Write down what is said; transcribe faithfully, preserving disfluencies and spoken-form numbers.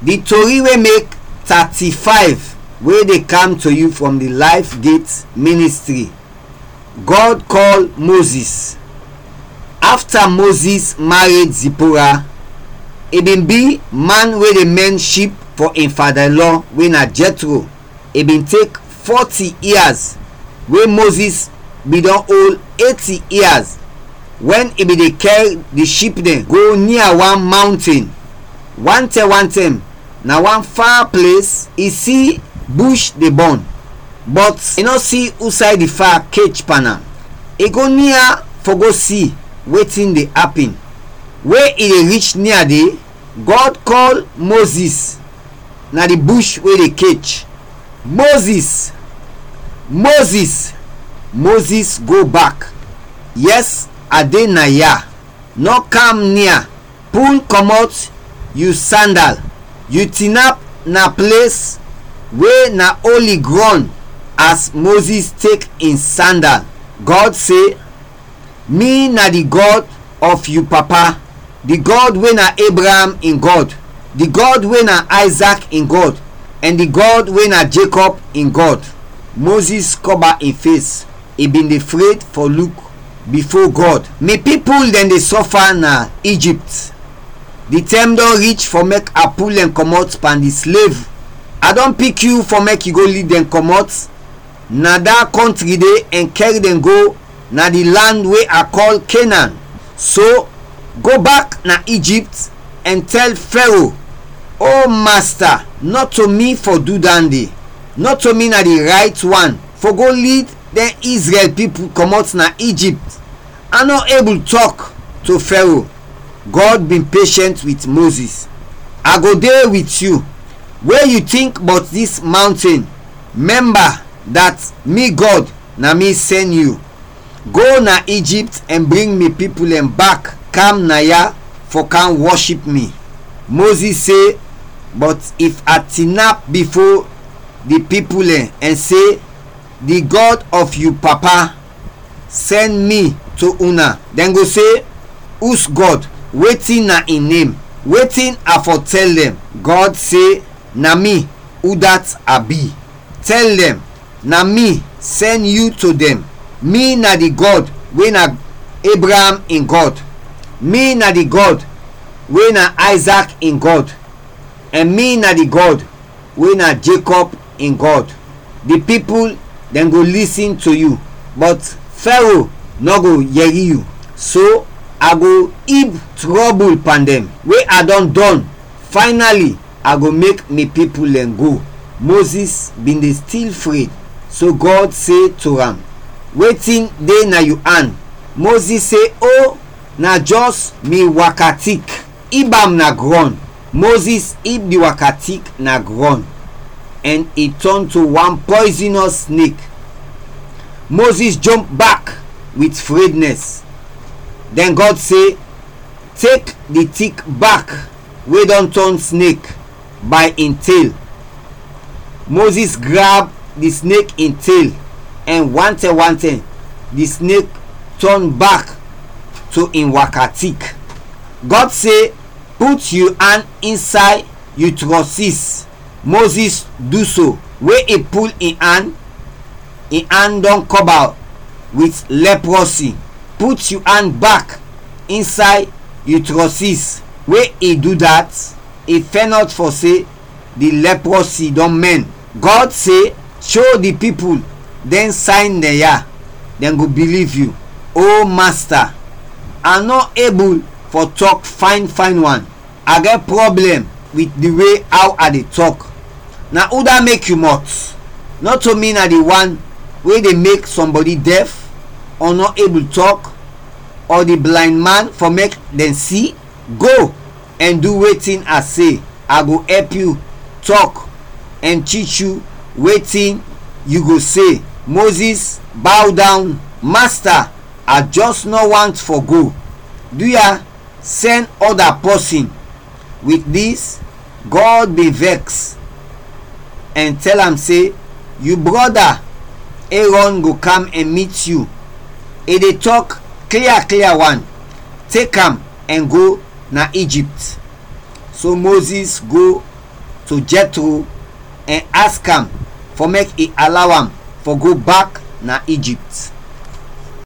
Di tori we mek thirty-five wey dey kam to yu from di Life Gate Ministry. God kɔl Moses. Afta Moses mared Zipora, i bin bi man we de mɛn ship fɔ in fada-in-lɔ we na Jethro. I bin tek fɔti ias we Moses bin dɔn ol eti ias wɛn i bin de kɛr di ship dɛn go nia wan mawnten. Wantɛm wantɛm, na wan fa ples i si bush de bɔn, bɔt i nɔ si usay di fa kech pan am. I go nia fɔ go si wetin de apin. We i de rich nia de, Gɔd kɔl Moses na di bush we de kech, "Moses! Moses!" Moses go bak, "Yɛs, a de naya. Nɔ kam nia. Pul kɔmɔt yu sandal. Yu tinap na ples we na oli grɔn." As Moses tek in sandal, Gɔd se, "Mi na di Gɔd of yu papa, di Gɔd we na Abraham in Gɔd, di Gɔd we na Ayzak in Gɔd, ɛn di Gɔd we na Jekɔb in Gɔd." Moses kɔba in fes, i bin de fred fɔ luk bifo Gɔd. "Mi pipul dɛn de sɔfa na Ijipt. Di tɛm dɔn rich fɔ mek a pul dɛn kɔmɔt pan di slev. A dɔn pik yu fɔ mek yu go lid dɛn kɔmɔt na da kɔntri de ɛn kɛr dɛn go na di lan we a kɔl Kenan. So, go bak na Ijipt ɛn tɛl Fɛro, 'O Masta, nɔto mi fɔ du dande. Nɔto mi na di rayt wan fɔ go lid dɛn Izrɛl pipul kɔmɔt na Ijipt. A nɔ ebul tɔk to Fɛro.'" Gɔd bin peshɛnt wit Moses. "A go de wit yu. We yu tink bɔt dis mawnten, mɛmba dat mi Gɔd na mi sɛn yu. Go na Ijipt ɛn bring mi pipul dɛn bak kam naya fɔ kam wɔship mi." Moses se, "Bɔt if a tinap bifo di pipul dɛn ɛn se, 'Di Gɔd of yu papa sɛn mi to una,' dɛn go se, 'Us Gɔd, wetin na in nem? Wetin a fɔ tɛl dɛn?'" Gɔd se, "Na mi, udat a bi. Tɛl dɛn, na mi sɛn yu to dɛn. Mi na di Gɔd we na Abraham in Gɔd. Mi na di Gɔd we na Ayzak in Gɔd. Ɛn mi na di Gɔd we na Jekɔb in Gɔd. Di pipul dɛn go lisin to yu, bɔt Fɛro nɔ go yɛri yu. So a go ib trɔbul pan dɛn we a dɔn dɔn. Faynali, a go mek mi pipul dɛn go." Moses bin de stil fred, so Gɔd se to am, "Wetin de na yu an?" Moses se, "O, na jɔs mi wakatik." "Ib am na grɔn." Moses ib di wakatik na grɔn, ɛn i tɔn to wan pɔizinɔs snek. Moses jomp bak wit frednɛs. Dɛn Gɔd se, "Tek di tik bak we dɔn tɔn snek bay in tel." Moses grab di snek in tel, ɛn wantɛm wantɛm di snek tɔn bak to in wakatik. Gɔd se, "Put yu an insay yu trɔsis." Moses du so. We i pul in an, in an dɔn kɔba wit lɛprɔsi. "Put yu an bak insay yu trɔsis." We i du dat, i fɛnɔt fɔ se di lɛprɔsi dɔn mɛn. Gɔd se, "Sho di pipul dɛn sayn dɛn ya, dɛn go biliv yu." O Masta, a nɔ ebul fɔ tɔk fayn fayn wan. A gɛt pwoblɛm wit di we aw a de tɔk. Na udat mek yu mɔt? Nɔto mi na di wan we de mek sɔmbɔdi dɛf ɔ nɔ ebul tɔk, ɔ di blayn man fɔ mek dɛn si? Go ɛn du wetin a se, a go ɛp yu tɔk ɛn tich yu wetin yu go se. Moses baw dawn. "Masta, a jɔs nɔ want fɔ go. Duya, sɛn ɔda pɔsin." Wit dis, Gɔd bin vɛks ɛn tɛl am se, "Yu brɔda Erɔn go kam ɛn mit yu. I de tɔk klia klia wan. Tek am ɛn go na Ijipt." So Moses go to Jethro ɛn ask am fɔ mek i alaw am fɔ go bak na Egypt.